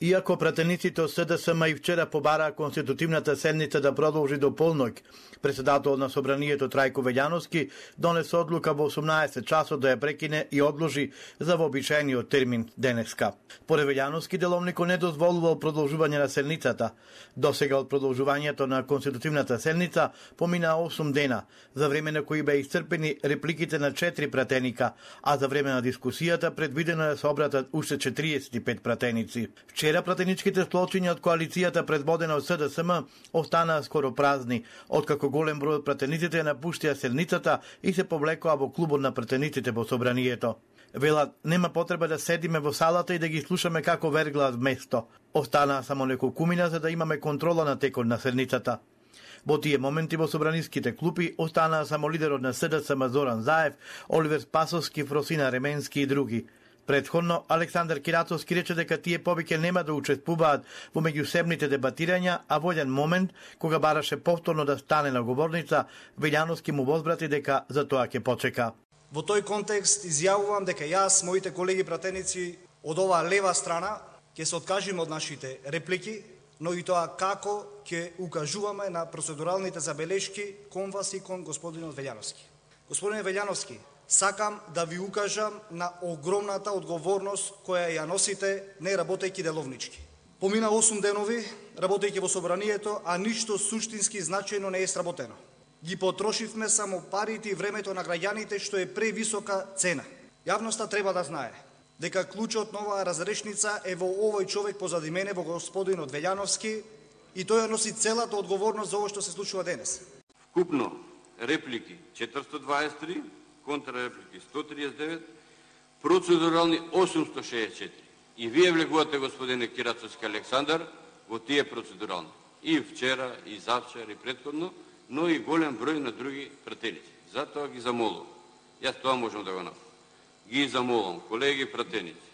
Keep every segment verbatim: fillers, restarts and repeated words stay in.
Иако пратениците од СДСМ и вчера побараа конститутивната седница да продолжи до полноќ, председател на собранието Трајко Велјановски донесе одлука во осумнаесет часот да ја прекине и одложи за вообичаениот термин денеска. Според Велјановски, деловникот не дозволувал продолжување на седницата. Досега од продолжувањето на конститутивната седница помина осум дена, за време на кои беа исцрпени репликите на четири пратеника, а за време на дискусијата предвидено да се обратат уште четириесет и пет пратеници. Вчера пратеничките сплочиња од коалицијата предводена од СДСМ останаа скоро празни, откако голем број од пратениците напуштија седницата и се повлекоа во клубот на пратениците во собранието. Велат, нема потреба да седиме во салата и да ги слушаме како верглаат вместо. Останаа само неколкумина за да имаме контрола на текот на седницата. Во тие моменти во собраниските клупи останаа само лидерот на СДСМ Зоран Заев, Оливер Спасовски, Фросина Ременски и други. Предходно, Александар Кирацовски рече дека тие повеќе нема да учествуваат во меѓусебните дебатирања, а во еден момент, кога бараше повторно да стане на говорница, Велјановски му возбрати дека за тоа ќе почека. Во тој контекст изјавувам дека јас, моите колеги пратеници од оваа лева страна, ќе се откажиме од нашите реплики, но и тоа како ќе укажуваме на процедуралните забелешки кон вас и кон господинот Велјановски. Господине Велјановски, сакам да ви укажам на огромната одговорност која ја носите не работејќи деловнички. Помина осум денови работејќи во собранието, а ништо суштински значајно не е сработено. Ги потрошивме само парите и времето на граѓаните, што е превисока цена. Јавноста треба да знае дека клучот на оваа разрешница е во овој човек позади мене, во господинот Велјановски, и тој ја носи целата одговорност за ово што се случува денес. Вкупно реплики четиристотини дваесет и три, контрреплики сто триесет и девет, процедурални осумстотини шеесет и четири. И вие влегувате, господине Кирацовски Александар, во тие процедурални. И вчера, и завчера, и предходно, но и голем број на други пратеници. Затоа ги замолувам. Јас тоа можам да го направам. Ги замолувам, колеги пратеници,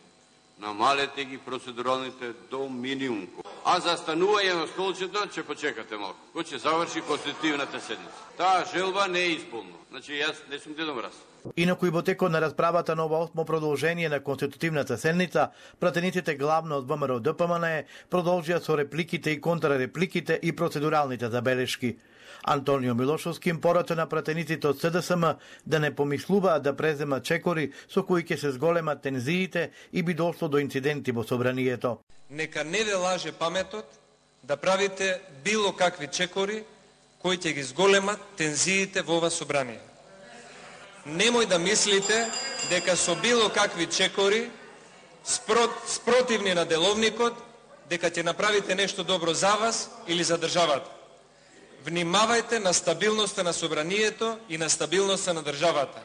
намалете ги процедуралните до минимум. А за станување на столчето ќе почекате малку. Кој ќе заврши конститутивната седница. Таа желба не е исполнена. Значи јас не сум Дедо Мраз. Инаку и во текот на расправата на ова осмо продолжение на конститутивната седница, пратениците главно од ВМРО ДПМН продолжија со репликите и контрарепликите и процедуралните забелешки. Антонио Милошовски им порача на пратениците од СДСМ да не помислуваат да преземат чекори со кои ќе се зголемат тензиите и би дошло до инциденти во собранието. Нека не ве лаже паметот да правите било какви чекори кои ќе ги зголемат тензиите во ова собрание. Немој да мислите дека со било какви чекори спротивни на деловникот дека ќе направите нешто добро за вас или за државата. Внимавајте на стабилноста на собранието и на стабилноста на државата.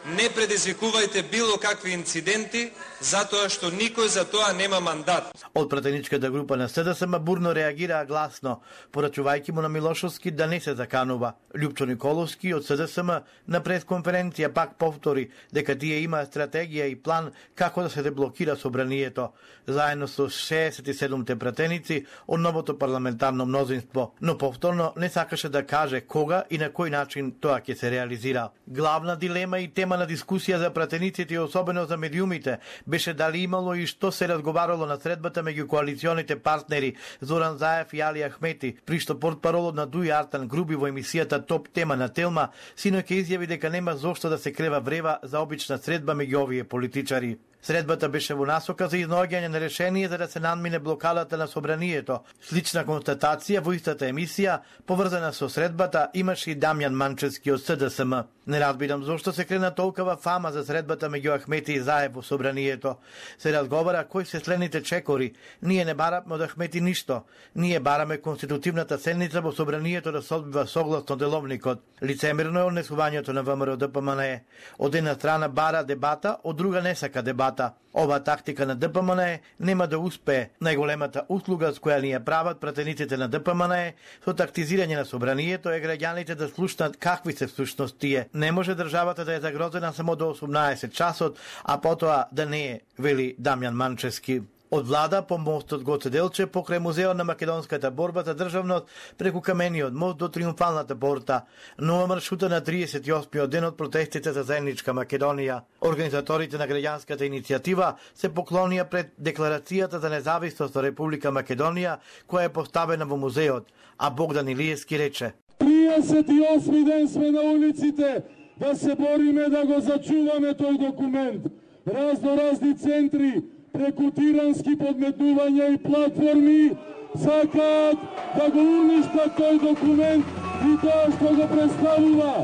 Не предизвикувајте било какви инциденти, затоа што никој за тоа нема мандат. Од пратеничката група на СДСМ бурно реагираа гласно, порачувајќи му на Милошовски да не се заканува. Љупчо Николовски од СДСМ на пресконференција пак повтори дека тие има стратегија и план како да се деблокира собранието, заедно со шеесет и седумте пратеници од новото парламентарно мнозинство, но повторно не сакаше да каже кога и на кој начин тоа ќе се реализира. Главна дилема и тема на дискусија за пратениците и особено за медиумите беше дали имало и што се разговарало на средбата меѓу коалиционите партнери Зоран Заев и Али Ахмети, при што портпаролот на Дуј Артан Груби во емисијата Топ тема на Телма синоќ ќе изјави дека нема зошто да се крева врева за обична средба меѓу овие политичари. Средбата беше во насока за изнаоѓање на решение за да се надмине блокадата на собранието. Слична констатација во истата емисија, поврзана со средбата, имаше и Дамјан Манчевски од СДСМ. Не разбирам зошто се крена толкова фама за средбата меѓу Ахмети и Заев во собранието. Се разговара кои се следните чекори. Ние не бараме од Ахмети ништо. Ние бараме конститутивната седница во собранието да се одбива согласно деловникот. Лицемерно е однесувањето на ВМРО ДПМН. Од една страна бара дебата, од друга не сака дебата. Ова тактика на ДПМН нема да успее. Најголемата услуга с која ни ја прават пратениците на ДПМН со тактизирање на собранието е граѓаните да слушнат какви се всушност тие. Не може државата да е загрозена само до осумнаесет часот, а потоа да не е, вели Дамјан Манчевски. Од влада по мостот Гоце Делчев покрај музеот на македонската борба за државност преку камениот мост до Триумфалната порта, нова маршрута на триесет и осми ден од протестите за заедничка Македонија. Организаторите на граѓанската иницијатива се поклонија пред декларацијата за независност на Република Македонија која е поставена во музеот, а Богдан Илиевски рече: триесет и осми ден сме на улиците да се бориме да го зачуваме тој документ. Разно разни центри преку тирански подметнувања и платформи сакаат да го уништат тој документ и тоа што го представува.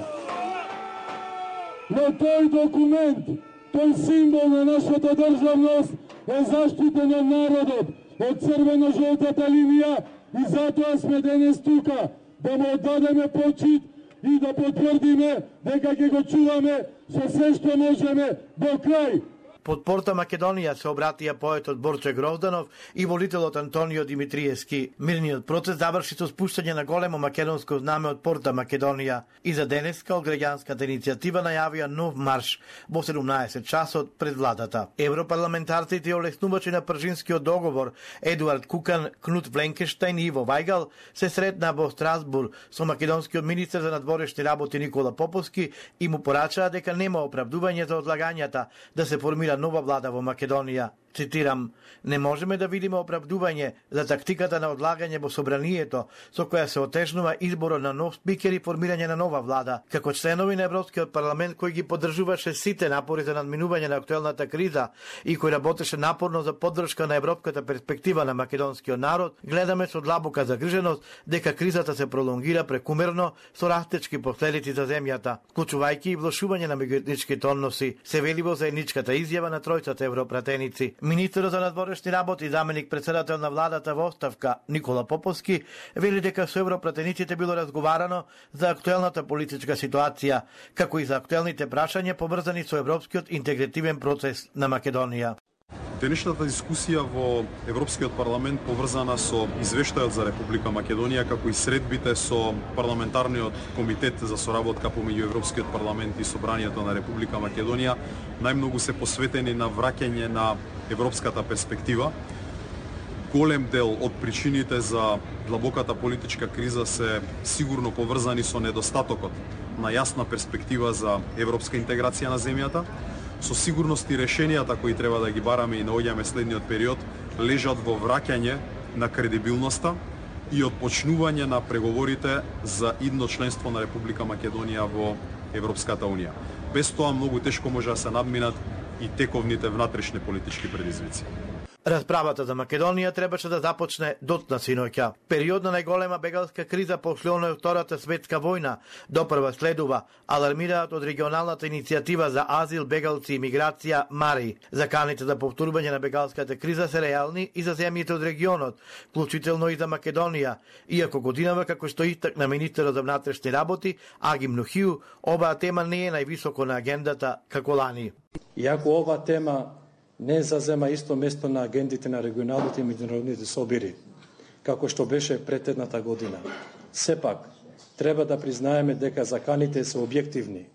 Но тој документ, тој символ на нашата државност е заштитен од народот, од црвено-жолтата линија и затоа сме денес тука, да му оддадеме почит и да потврдиме дека ќе го чуваме со се што можеме до крај. Под порта Македонија се обратија поетот Борче Грозданов и волителот Антонио Димитриевски. Мирниот процес заврши со спуштање на големо македонско знаме од порта Македонија. И за денеска од граѓанската иницијатива најавија нов марш во седумнаесет часот пред владата. Европарламентарците и олеснувачи на Пржинскиот договор Едуард Кукан, Кнут Вленкенштајн и Иво Вајгал се сретнаа во Страсбург со македонскиот министер за надворешни работи Никола Поповски и му порачаа дека нема оправдување за одлагањата да се формира нова влада во Македонија. Цитирам: не можеме да видиме оправдување за тактиката на одлагање во собранието со која се отежнува изборот на нов спикер и формирање на нова влада. Како членови на Европскиот парламент кој ги поддржуваше сите напори за надминување на актуелната криза и кој работеше напорно за поддршка на европската перспектива на македонскиот народ, гледаме со длабока загриженост дека кризата се пролонгира прекумерно со растечки последици за земјата, вклучувајќи и влошување на меѓуетничките односи, се вели во заедничката изјава на тројцата европратеници. Министерот за надворешни работи и заменик председател на владата во оставка Никола Поповски вели дека со европратениците било разговарано за актуелната политичка ситуација, како и за актуелните прашања поврзани со европскиот интегративен процес на Македонија. Денешната дискусија во Европскиот парламент поврзана со извештајот за Република Македонија, како и средбите со парламентарниот комитет за соработка помеѓу Европскиот парламент и Собранието на Република Македонија, најмногу се посветени на враќање на европската перспектива. Голем дел од причините за длабоката политичка криза се сигурно поврзани со недостатокот на јасна перспектива за европска интеграција на земјата. Со сигурност и решенијата кои треба да ги бараме и наоѓаме следниот период лежат во враќање на кредибилноста и отпочнување на преговорите за идно членство на Република Македонија во Европската Унија. Без тоа многу тешко може да се надминат и тековните внатрешни политички предизвици. Расправата за Македонија требаше да започне дотна синоќа. Период на најголема бегалска криза после оној Втората светска војна допрва следува, алармираат од регионалната иницијатива за азил, бегалци и миграција МАРИ. Заканите за повторување на бегалската криза се реални и за земјите од регионот, вклучително и за Македонија, иако годинава, како што истакна министерот за внатрешни работи Агим Нухиу, оваа тема не е највисоко на агендата како лани. Иако ова тема не зазема исто место на агендите на регионалните и меѓународните собири, како што беше пред едната година. Сепак, треба да признаеме дека заканите се објективни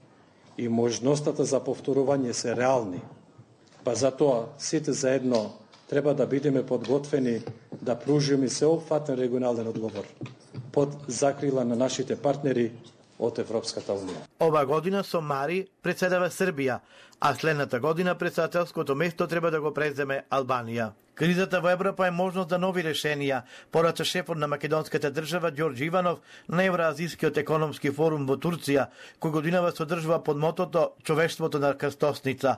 и можността за повторување се реални. Па затоа, сите заедно треба да бидеме подготвени да пружиме сеопфатен регионален одговор под закрила на нашите партнери од Европската Унија. Ова година со МАРИ председава Србија, а следната година председателското место треба да го преземе Албанија. Кризата во Европа е можност за нови решенија, порача шефот на македонската држава Ѓорѓе Иванов на Евроазискиот економски форум во Турција, кој годинава содржува под мотото "Човештвото на крстосница".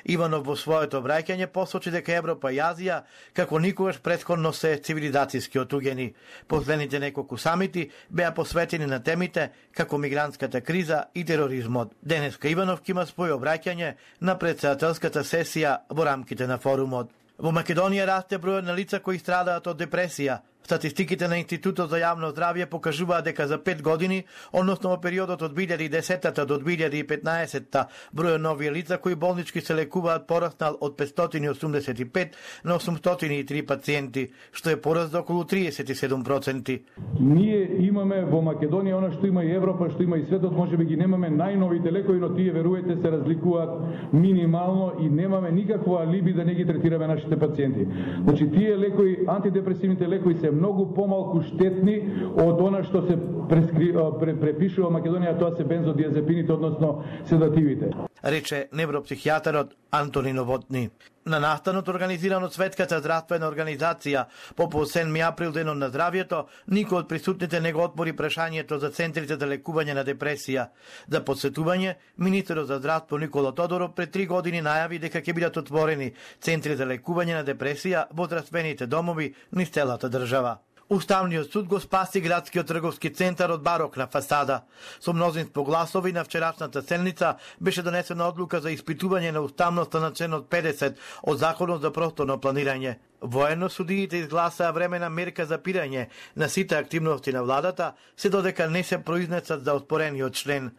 Иванов во своето враќање посочи дека Европа и Азија како никогаш претходно се цивилизацијски отуѓени. Последните неколку самити беа посветени на темите како мигрантската криза и тероризмот. Денеска Иванов ќе има своје обраќање на председателската сесија во рамките на форумот. Во Македонија расте бројот на лица кои страдаат од депресија, Статистиките на Институтот за јавно здравје покажуваат дека за пет години, односно во периодот од две илјади и десета до две илјади и петнаесетта, бројот нови лица кои болнички се лекуваат пораснал од петстотини и осумдесет и пет на осумстотини и три пациенти, што е пораст за околу триесет и седум проценти. Ние имаме во Македонија она што има и Европа, што има и светот, можеби ги немаме најновите лекови, но тие веруете се разликуваат минимално и немаме никакво алиби да не ги третираме нашите пациенти. Значи тие лекови, антидепресивните лекови се многу помалку штетни од она што се прескри... препишува во Македонија, тоа се бензодиазепините, односно седативите. Рече невропсихијатарот Антони Новотни. На настанот организиран од Светската здравствена организација по седми април денот на здравјето, никој од присутните не го отпори прашањето за центрите за лекување на депресија. За посетување, министерот за здравство Никола Тодоров пред три години најави дека ќе бидат отворени центри за лекување на депресија во здравствените домови низ целата држава. Уставниот суд го спаси градскиот трговски центар од барокна фасада. Со мнозинство гласови на вчерашната седница беше донесена одлука за испитување на уставноста на членот педесет од Законот за просторно планирање. Воено судиите изгласаа времена мерка за пирање на сите активности на владата, се додека не се произнесат за оспорениот член.